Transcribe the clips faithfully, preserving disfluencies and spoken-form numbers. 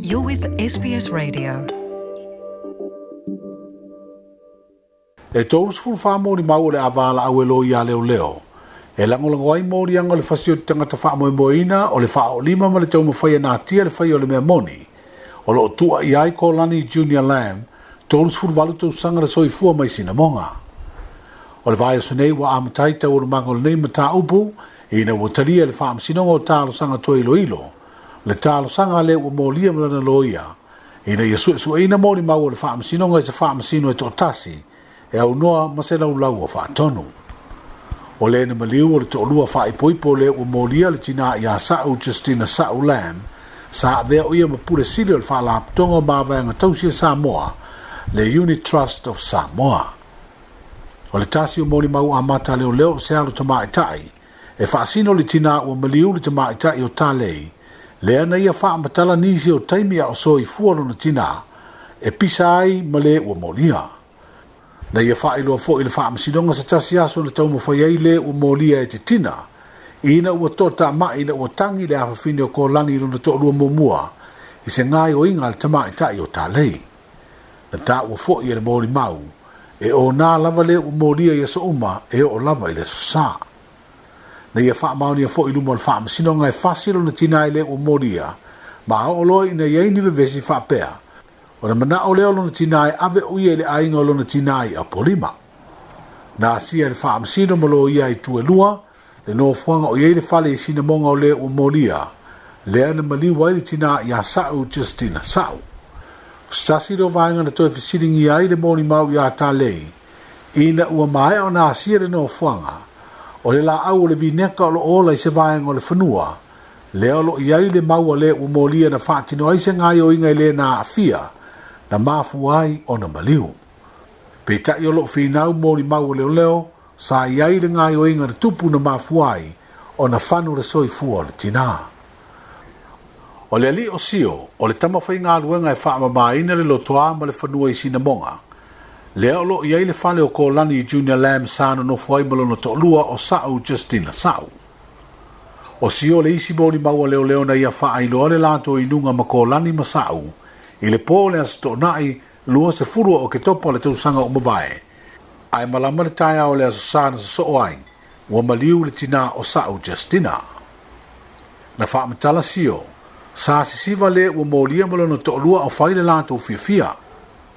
You're with S B S Radio. E tolu sefulu fa moli mau o le avala au e lo ia leo leo. E langolango ai moli anga o le fasi o te tangata whaamoemoeina o le whaolima ma le taumawhai nā tia le whai o le mea moni. O loo tua i ai ko Lani Junior Lam, tolu sefulu valu tausaga le soifua mai Sinamoga. O le vai aso nei ua amatai tau o le manga o lenei mataupu, ina ua talia le faamasinoga o talosaga toailoilo. Le talosaga lea ua molia ma lana loia, ina ia suesueina molimau o le faamasinoga i se faamasino e toatasi, e aunoa ma se laulau o faatonu. O le na maliu o le toalua faaipoipo le ua molia le tinā ia Sa'u Justina Sa'u Lam, sa avea o ia ma pule sili o le faalapotoga o mavaega tausi e Samoa, le Unit Trust of Samoa. O le tasi o molimau amata leoleo o se alo tamaitai, e faasino le tinā ua maliu le tamaitai o Talei, lea na ia faamatala nisi o taimi a o soifua lona tinā, e pisa ai ma le ua molia. Na ia faailoa foi le faamasinoga se tasi aso na taumafai ai le ua molia e te tina, ina ua toatamai ina ua tangi le afafine o Kolani lona toalua muamua, i se gaoioiga a le tamaitai o Talei. Na taua foi e le molimau, e o nā lava le ua molia i aso uma e oo lava i le aso sa. Na ia faamaonia foi i luma o le faamasinoga e fasi lona tina i le ua molia, ma oo loa ina iai ni vevesi faapea. O le manao lea o lona tina e ave o ia i le aiga o lona tina i Apolima. Na asia le faamasino ma loia i tuelua, le nofoaga o iai le fale i Sinamoga o le ua molia, lea na maliu ai le tina ia Sa'u Justina Sa'u. O se tasi leo vaega na toe fesiligia ai le molimau ia Talei, ina ua maea ona asia le nofoaga, o le laau o le vineka o loo ola i se vaega o le fanua, lea o loo iai le mau a le ua molia na faatino ai se gaoioiga i le na aafia, na mafua ai ona maliu. Peitai o loo finau molimau o leoleo, sa iai le gaoioiga na tupu na mafua ai ona fanu le soifua o le tinā. O le alii o Sio, o le tamafaigaluega e faamamaina le lotoa ma le fanua i Sinamoga, lea o loo iai le fale o Kolani Junior Lam sa nonofo ai ma lona toalua o Sa'u Justina Sa'u. O Sio le isi molimau a leoleo na ia faailoa le latou inuga ma Kolani ma Sa'u, i le po o le aso toonai lua sefulu o Oketopa o le tausaga o mavae. Ae malama le taeao o le aso sa na sosoo ai, ua maliu le tinā o Sa'u Justina. Na faamatala Sio, sa sisiva le ua molia ma lona toalua o fai le latou fiafia,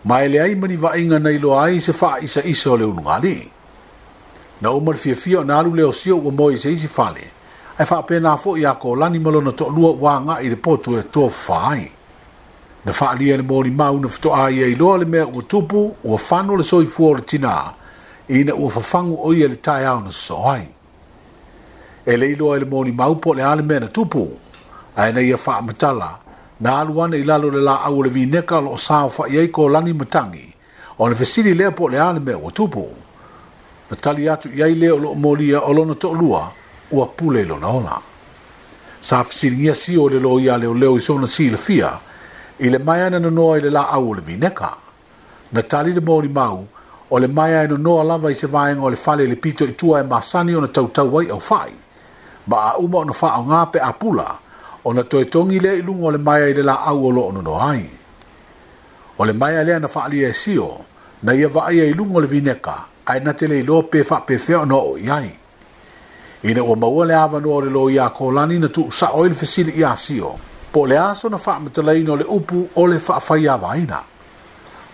ma e leai ma ni vaaiga na iloa ai se faaisaisa o le ulugalii. Na uma le fiafia o na alu lea o Sio ua moe i se isi fale, ae faapena foi ia Kolani ma lona toalua ua agai i le potu e tofafa ai. Na faalia le molimau na fetoa ia iloa le mea ua tupu, ua fano le soifua o le tinā, ina ua fafagu o ia le taeao na sosoo ai. E le iloa i le molimau po o le a le mea na tupu, ae na ia faamatala, na alu ane i lalo le laau o le vineka o loo saofai ai Kolani ma Tangi, ona fesili lea po o le a le mea ua tupu. Na tali atu i ai lea o loo molia o lona toalua, ua pule i lona ola. Sa fesiligia Sio o le loia leoleo i sona silafia, i le maea na nonoa i le laau o le vineka. Na tali le molimau, o le maea e nonoa lava i se vaega o le fale i le pito i tua e masani ona tautau ai au whai. Ma a uma ona whaonga pe a pula, ona toe tongi lea i luga o le maea i le laau o loo nonoa ai. O le maea lea na faalia e Sio, na ia vaaia i luga o le vineka, ae na te le iloa pe faapefea ona oo i ai. Ina ua maua le avanoa o le loia Kolani na tuusao ai le fesili ia Sio, po o le aso na faamatalaina o le upu o le faafaiavaina.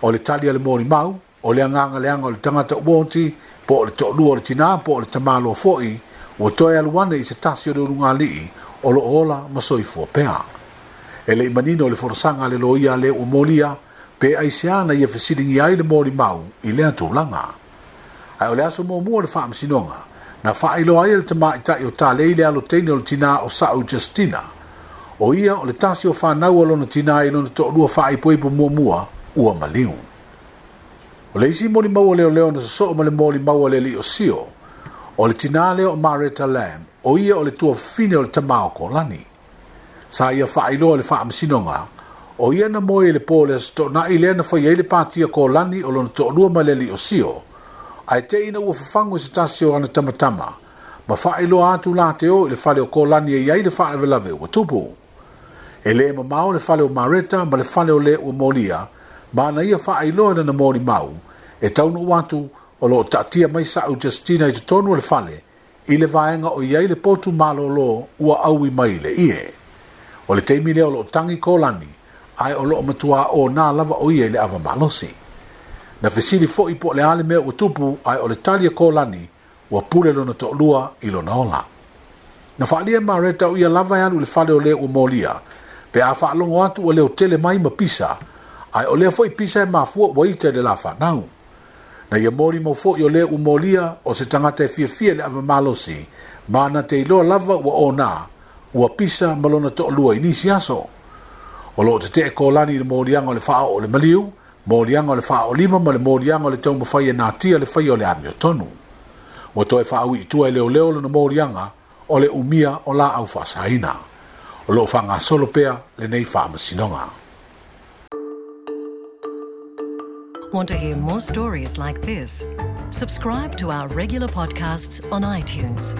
O le tali a le molimau, o le agaga leaga o le tagata ua oti, po o le toalua o le tinā, po o le tamāloa foi, ua toe alu ane i se tasi o le ulugalii, o loo ola ma soifua pea. E le i manino le folasaga a le loia le ua molia, pe aisea na ia fesiligia ai le molimau i lea tulaga. Ae o le aso muamua o le faamasinoga, na faailoa ai e le tamaitai o Talei le alo teine o le tinā o Sa'u Justina. O ia o le tasi o whanau o lona tinā i lona toalua faaipoipo muamua, ua maliu. O le isi molimau o leoleo na sosoo ma le molimau a le alii o Sio, o le tinā lea o Mareta Lam, o ia o le tuafafine o le tamā o Kolani. Sa ia faailoa le faamasinoga, o ia na moe i le po o le aso toonai lea na fai ai le patia Kolani o lona toalua ma le alii o Sio, ae te ina ua fafagu i se tasi o ana tamatama, ma faailoa atu la te o i le fale o Kolani e iai le faalavelave ua tupu. E le mamao le fale o Mareta ma le fale o le ua molia, ma na ia faailoa i lana molimau, e taunuu atu o loo taatia mai sa'u Justina i totonu o le fale, i le vaega o i ai le potu malolo ua aui mai le ie. O le taimi lea o loo tagi Kolani, ae o loo matuā ona lava o ia i le ava malosi. Na fesili foi po o le a le mea ua tupu, ae o le tali a Kolani, ua pule lona toalua i lona ola. Na faaalia e Mareta o ia lava e alu i le fale o le ua molia, pe a faalogo atu ua leo tele mai ma pisa, ae o lea foi pisa e mafua ua ita i le la fanau. Na ia molimau foi o le ua molia o se tagata e fiafia i le ava malosi, ma na te iloa lava ua ona, ua pisa ma lona toalua i nisi aso. O loo tetee Kolani i le moliaga o le faaoo o le maliu, moliaga o le faaolima ma le moliaga o le taumafai e natia le faia o le amiotonu. Ua toe faaui i tua e leoleo lona moliaga o le umia o laau faasaina. O loo faagasolo pea lenei faamasinoga. Want to hear more stories like this? Subscribe to our regular podcasts on iTunes.